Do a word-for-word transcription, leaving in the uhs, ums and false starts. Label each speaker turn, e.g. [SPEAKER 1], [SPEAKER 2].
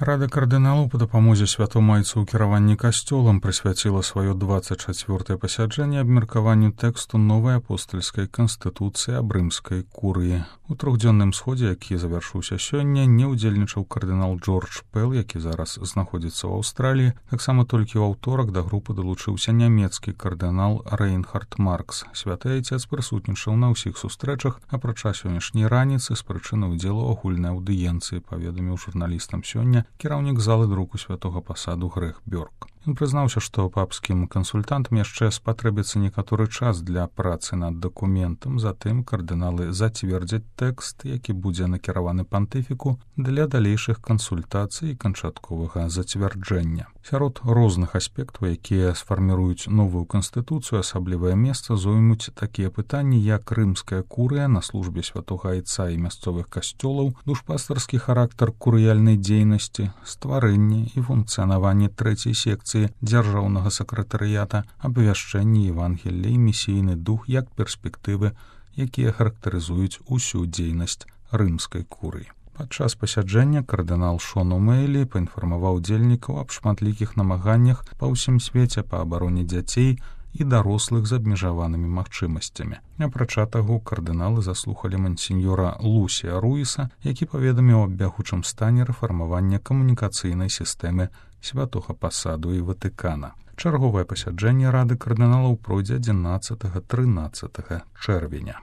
[SPEAKER 1] Рада кардыналаў па дапамозе святому айцу ў кіраванні касцёлам прысвяціла сваё дваццаць чацвёртае пасяджэнне абмеркаванню тэксту новай апостальскай канстытуцыі аб рымскай курыі. У трохдзённым сходзе, які завяршыўся сёння, не ўдзельнічаў кардынал Джордж Пэл, які зараз знаходзіцца ў Аўстраліі. Таксама толькі ў аўторак да групы далучыўся нямецкі кардынал Рейнхард Маркс. Святы айцец прысутнічаў на ўсіх сустрэчах, апрача сённяшняй раніцы з прычыны ўдзелу ў агульнай аўдыенцыі, паведаміў журналістам сёння кіраўнік залы друку святога пасаду Грэх Бёрк. Ён прызнаўся, што папскім кансультантам яшчэ спатрэбіцца некаторы час для працы над дакументам, затым кардыналы зацвердзяць тэкст, які будзе накіраваны пантыфіку для далейшых кансультацый і канчатковага зацвярджэння. Сярод розных аспектаў, якія сфарміруюць новую канстытуцыю, асаблівае месца зоймуць такія пытанні, як рымская курыя на службе святога айца і мясцовых касцёлаў, душпастарскі характар курыяльнай дзейнасці, стварэнне і функцыянаванне трэцяй секцыі дзяржаўнага сакратарыята, абвяшчэнне Евангелля і місійны дух як перспектывы, якія характарызуюць усю дзейнасць рымскай курыі. Падчас пасяджэння кардынал Шон О'Мэйлі паінфармаваў удзельнікаў аб шматлікіх намаганнях па ўсім свеце па абароне дзяцей і дарослых з абмежаванымі магчымасцямі. Апрача таго, кардыналы заслухалі мансіньёра Лусія Руіса, які паведаміў аб бягучым стане рэфармавання камунікацыйнай сістэмы святога пасаду і Ватыкана. Чарговае пасяджэнне рады кардыналаў пройдзе адзінаццатага-трынаццатага чэрвеня.